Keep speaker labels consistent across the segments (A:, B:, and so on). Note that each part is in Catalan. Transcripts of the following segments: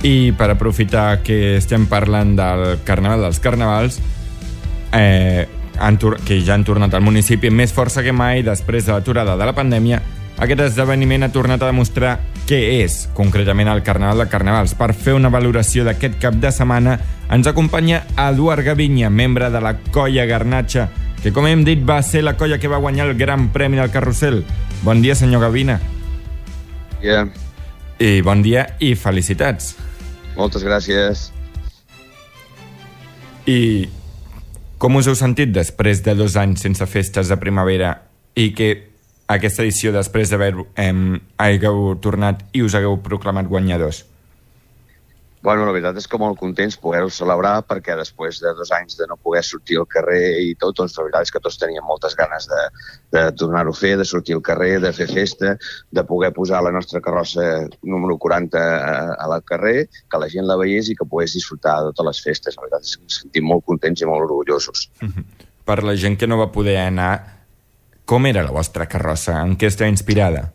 A: I per aprofitar que estem parlant del Carnaval dels Carnavals, que ja han tornat al municipi amb més força que mai després de l'aturada de la pandèmia, aquest esdeveniment ha tornat a demostrar què és concretament el Carnaval de Carnavals. Per fer una valoració d'aquest cap de setmana ens acompanya Eduard Gavinya, membre de la Colla Garnatxa, que, com hem dit, va ser la colla que va guanyar el Gran Premi del Carrusel. Bon dia, senyor Gavina.
B: Yeah.
A: I bon dia i felicitats.
B: Moltes gràcies.
A: I com us heu sentit després de 2 anys sense festes de primavera i que aquesta edició, després hagueu tornat i us hagueu proclamat guanyadors?
B: Bueno, la veritat és que molt contents poder-ho celebrar, perquè després de 2 anys de no poder sortir al carrer i tot, doncs la veritat és que tots teníem moltes ganes de tornar-ho a fer, de sortir al carrer, de fer festa, de poder posar la nostra carrossa número 40 al carrer, que la gent la veiés i que pogués disfrutar de totes les festes. La veritat és que ens sentim molt contents i molt orgullosos.
A: Per la gent que no va poder anar, com era la vostra carrossa? En què està inspirada?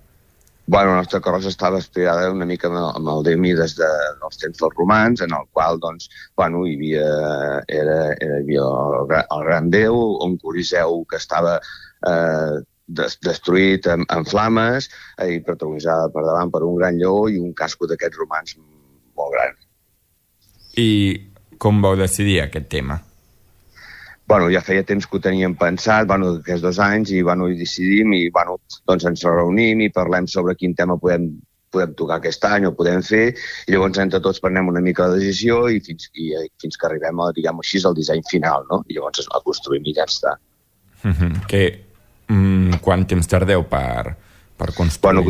B: Bueno, la nostra carrossa estava inspirada una mica amb el Diomedes dels temps dels romans, en el qual, doncs, bueno, hi havia el gran déu, un coliseu que estava destruït en flames i protagonitzada per davant per un gran lleó i un casco d'aquests romans molt gran.
A: I com vau decidir aquest tema?
B: Bueno, ja feia temps que ho teníem pensat, aquests 2 anys, i hi decidim, i doncs ens reunim i parlem sobre quin tema podem tocar aquest any o podem fer, i llavors entre tots prenem una mica la decisió i fins que arribem a, diguem-ho així, al disseny final, no? I llavors el construïm i ja està.
A: Quant temps tardeu per construir?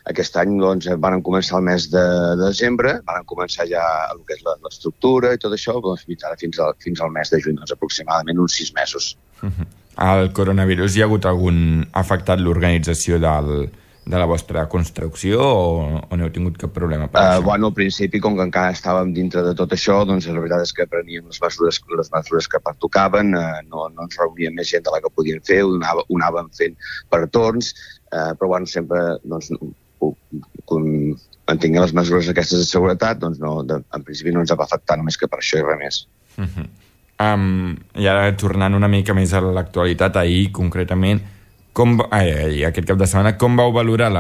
B: Aquest any van començar el mes de desembre, van començar ja el que és l'estructura i tot això, fins al mes de juny, aproximadament uns 6 mesos.
A: El coronavirus hi ha hagut afectat l'organització de la vostra construcció o no heu tingut cap problema per això?
B: Al principi, com que encara estàvem dintre de tot això, doncs la veritat és que preníem les mesures que pertocaven, no ens reuníem més gent de la que podíem fer, ho anàvem fent per torns, però sempre mantinguem les mesures aquestes de seguretat, doncs en principi no ens va afectar només que per això i res més.
A: I ara, tornant una mica més a l'actualitat, ahir concretament, aquest cap de setmana, com vau valorar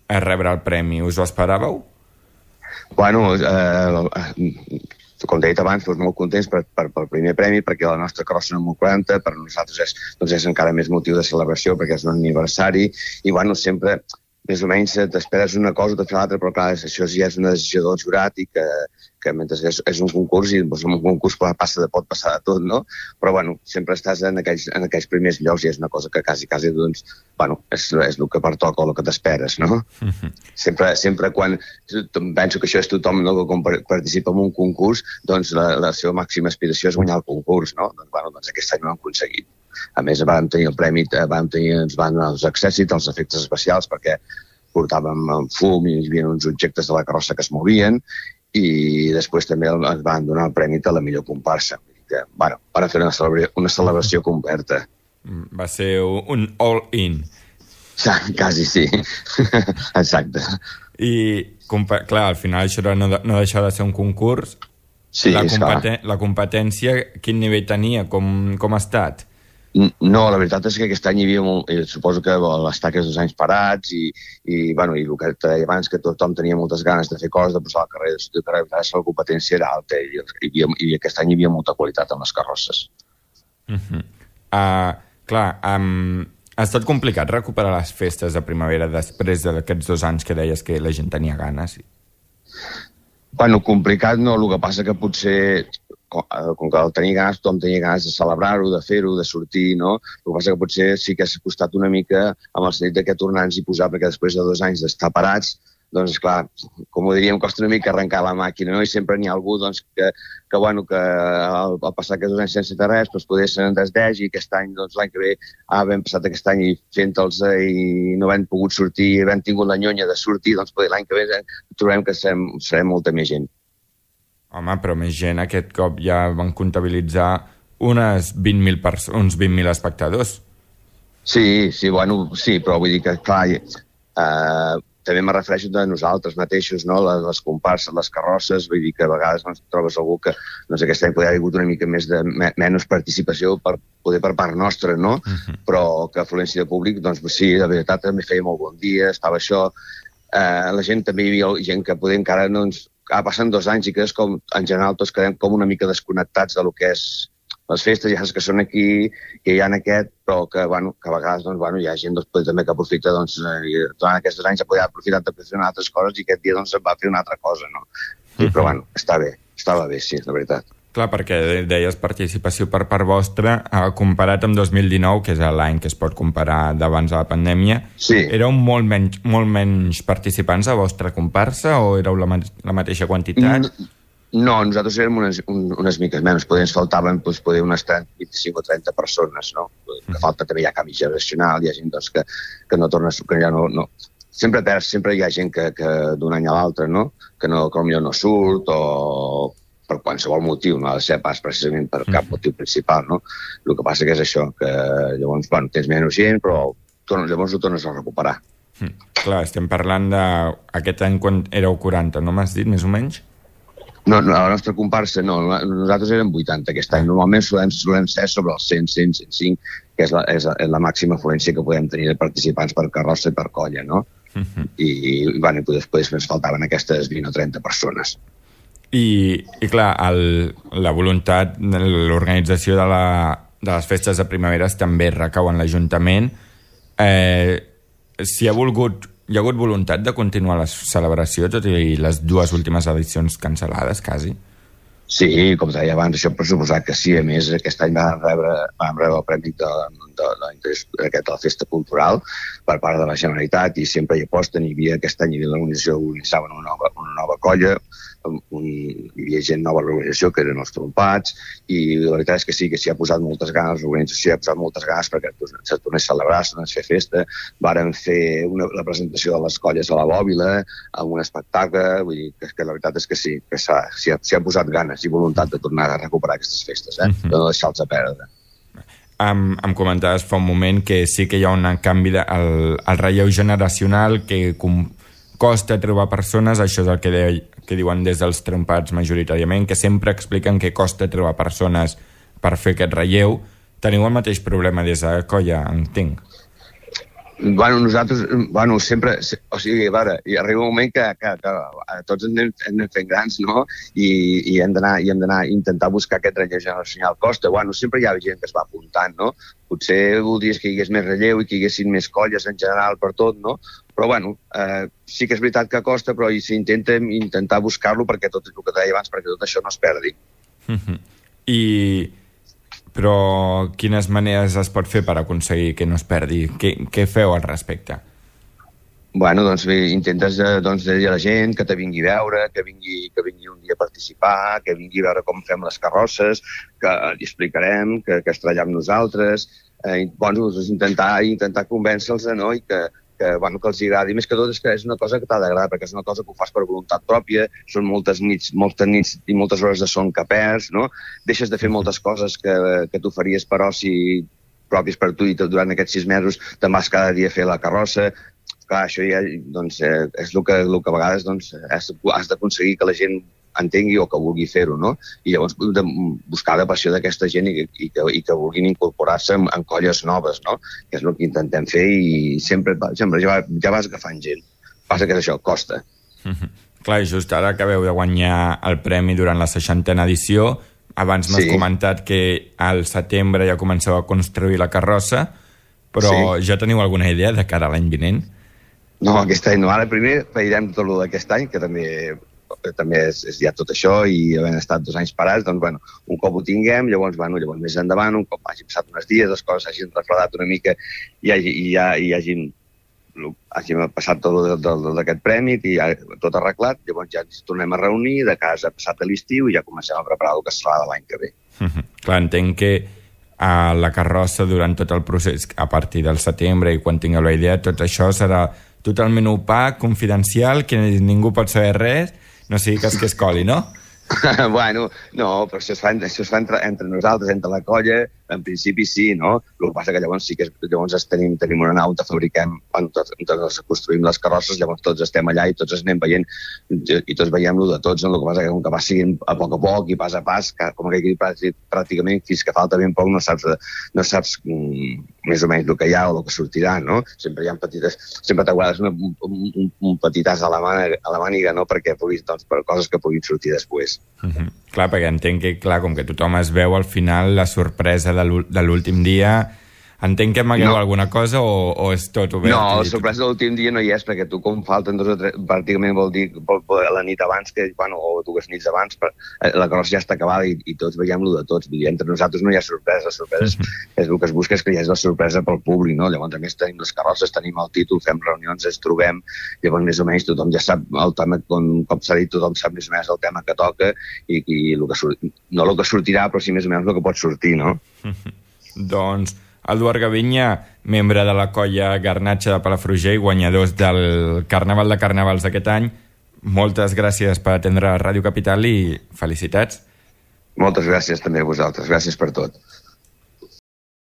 A: rebre el premi? Us ho esperàveu?
B: Bueno, com he dit abans, molt contents pel primer premi, perquè la nostra carrossa número 40 per nosaltres és encara més motiu de celebració, perquè és un aniversari, i sempre més o menys t'esperes una cosa o t'esperes l'altra, però clar, això ja és una decisió del jurat i que mentre és un concurs, i en un concurs pot passar de tot, no? Però sempre estàs en aquells primers llocs i és una cosa que quasi, doncs, és el que pertoca o el que t'esperes, no? Sempre quan penso que això és tothom, no?, que quan participa en un concurs, doncs la seva màxima aspiració és guanyar el concurs, no? Doncs aquest any ho hem aconseguit. A més, vam tenir el premi, ens van donar els accèssits, els efectes especials, perquè portàvem fum i hi havia uns objectes de la carrossa que es movien, i després també ens van donar el premi de la millor comparsa. Van fer una celebració completa.
A: Va ser un all-in.
B: Quasi sí. Exacte.
A: I, clar, al final això no deixava de ser un concurs.
B: Sí,
A: la competència, quin nivell tenia? Com ha estat?
B: No, la veritat és que aquest any hi havia suposo que l'estar aquests 2 anys parats i el que et deia abans, que tothom tenia moltes ganes de fer coses, de posar al carrer, de sortir al carrer, la competència era alta i aquest any hi havia molta qualitat en les carrosses.
A: Clar, ha estat complicat recuperar les festes de primavera després d'aquests 2 anys que deies que la gent tenia ganes?
B: Complicat no, el que passa que potser com que el tenia ganes, tothom tenia ganes de celebrar-ho, de fer-ho, de sortir, no? El que passa que potser sí que s'ha costat una mica amb el sentit de tornar-nos i posar, perquè després de 2 anys d'estar parats, doncs, clar, com ho diríem, costa una mica arrencar la màquina, no? I sempre n'hi ha algú, doncs, que al passar aquests 2 anys sense fer res, doncs, poder se'n desdeix, i aquest any, doncs, l'any que ve, havent passat aquest any i fent-los i no havent pogut sortir, i havent tingut la nyonya de sortir, doncs, poder l'any que ve trobem que serem molta més gent.
A: Home, però més gent, aquest cop ja van comptabilitzar uns 20.000 espectadors.
B: Sí, però vull dir que, clar, també me refereixo a nosaltres mateixos, no? Les comparses, les carrosses, vull dir que a vegades trobes algú que aquest any podria haver hagut una mica més de menys participació per part nostra, no? Però que afluència de públic, doncs sí, de veritat també feia molt bon dia, estava això. La gent també hi havia gent que poder encara no ens... Passen 2 anys i que és com, en general, tots quedem com una mica desconnectats de lo que és les festes, ja saps que són aquí, que hi ha aquest, però que a vegades hi ha gent també que aprofita, durant aquests 2 anys ha pogut aprofitar de fer altres coses i aquest dia va fer una altra cosa, no? Però estava bé, sí, la veritat.
A: Clar, perquè deies participació per part vostra, comparat amb 2019, que és l'any que es pot comparar d'abans de la pandèmia, éreu molt menys participants a vostra comparsa o éreu la mateixa quantitat?
B: No, nosaltres érem unes miques menys, ens faltaven unes 25 o 30 persones, no? Que falta també hi ha canvi generacional, hi ha gent que no torna, que ja no... Sempre hi ha gent que d'un any a l'altre, no? Que potser no surt o per qualsevol motiu, no ha de ser pas precisament per cap motiu principal, no? El que passa que és això, que llavors, tens menys gent, però llavors ho tornes a recuperar.
A: Clar, estem parlant d'aquest any quan éreu 40, no m'has dit, més o menys?
B: No, la nostra comparsa no, nosaltres érem 80 aquest any. Normalment solem ser sobre els 100, 105, que és la màxima afluència que podem tenir de participants per carrossa i per colla, no? I després ens faltaven aquestes 20 o 30 persones.
A: I clar, la voluntat, l'organització de les festes de primaveres també recau en l'Ajuntament. Si hi ha hagut voluntat de continuar la celebració, tot i les 2 últimes edicions cancel·lades, quasi?
B: Sí, com deia abans, això per suposar que sí. A més, aquest any vam rebre el premi de la Festa Cultural per part de la Generalitat i sempre hi aposten. Aquest any l'organització organitzava una nova colla, hi havia gent nova a l'organització, que eren els trompats, i la veritat és que sí, que s'hi ha posat moltes ganes, l'organització ha posat moltes ganes perquè se tornés a celebrar, se tornés a fer festa. Vàrem fer la presentació de les colles a la Bòbila, amb un espectacle, vull dir que la veritat és que sí, que s'hi ha posat ganes i voluntat de tornar a recuperar aquestes festes, de no deixar-los a perdre.
A: Em comentaves fa un moment que sí que hi ha un canvi al relleu generacional, que costa trobar persones, això és el que diuen des dels trompats majoritàriament, que sempre expliquen que costa trobar persones per fer aquest relleu. Teniu el mateix problema des de colla, entenc?
B: Nosaltres, sempre, o sigui, hi arriba un moment que tots anem fent grans, no? I hem d'anar a intentar buscar aquest relleu generacional. Costa, sempre hi ha gent que es va apuntant, no? Potser voldries que hi hagués més relleu i que hi haguessin més colles en general per tot, no? Però, sí que és veritat que costa, però s'intenta intentar buscar-lo perquè tot el que deia abans, perquè tot això no es perdi.
A: Però quines maneres es pot fer per aconseguir que no es perdi? Què feu al respecte?
B: Intentes dir a la gent que te vingui a veure, que vingui un dia a participar, que vingui a veure com fem les carrosses, que li explicarem, que es treballa amb nosaltres, intentar convèncer-los, no? I que els agradi. Més que tot és que és una cosa que t'ha d'agradar, perquè és una cosa que ho fas per voluntat pròpia, són moltes nits i moltes hores de son que perds, no? Deixes de fer moltes coses que tu faries per oci pròpies per tu i durant aquests 6 mesos te'n vas cada dia a fer la carrossa. Clar, això ja és el que a vegades has d'aconseguir que la gent entengui o que vulgui fer-ho, no? I llavors buscar la passió d'aquesta gent i que vulguin incorporar-se en colles noves, no? Que és el que intentem fer i sempre ja vas agafant gent. Passa que és això, costa.
A: Clar, i just ara acabeu de guanyar el premi durant la 60a edició. Abans m'has comentat que al setembre ja comenceu a construir la carrossa, però ja teniu alguna idea de cara a l'any vinent?
B: No, aquest any no. Ara primer veurem tot el d'aquest any, que també és ja tot això, i havent estat 2 anys parats, un cop ho tinguem, llavors més endavant, un cop hagi passat uns dies, les coses hagin refredat una mica i hagin passat tot d'aquest premi i tot arreglat, llavors ja ens tornem a reunir de casa passat a l'estiu i ja comencem a preparar el que serà de l'any que ve.
A: Clar, entenc que a la carrossa durant tot el procés, a partir del setembre i quan tingueu la idea, tot això serà totalment opac, confidencial, que ningú pot saber res, no sigui que es coli, no?
B: No, però això es fa entre nosaltres, entre la colla, en principi sí, no? El que passa que llavors sí que llavors tenim una nau, fabriquem, ens construïm les carrosses, llavors tots estem allà i tots anem veient, i tots veiem-lo de tots, no? El que passa que com que va seguint a poc i pas a pas, com que aquí pràcticament fins que falta ben poc no saps més o menys el que hi ha o el que sortirà, no? Sempre hi ha sempre t'aguardes un petit as a la màniga, no? Perquè puguis, doncs, per coses que puguin sortir després.
A: Clar, perquè entenc que, clar, com que tothom es veu al final la sorpresa de l'últim dia, entenc que amagueu alguna cosa o és tot obert?
B: No, la sorpresa de l'últim dia no hi és, perquè tu com falten 2 o 3, pràcticament vol dir la nit abans, o 2 nits abans, la carrossa ja està acabada i tots veiem-lo de tots. Entre nosaltres no hi ha sorpresa, la sorpresa és el que es busca, és que hi hagi la sorpresa pel públic, no? Llavors, a més, tenim les carrosses, tenim el títol, fem reunions, ens trobem, llavors més o menys tothom ja sap el tema, com s'ha dit, tothom sap més o menys el tema que toca i no el que sortirà, però sí més o menys el que pot sortir, no?
A: Doncs Eduard Gaviña, membre de la colla Garnatxa de Palafrugell, guanyadors del Carnaval de Carnavals d'aquest any. Moltes gràcies per atendre Ràdio Capital i felicitats.
B: Moltes gràcies també a vosaltres. Gràcies per tot.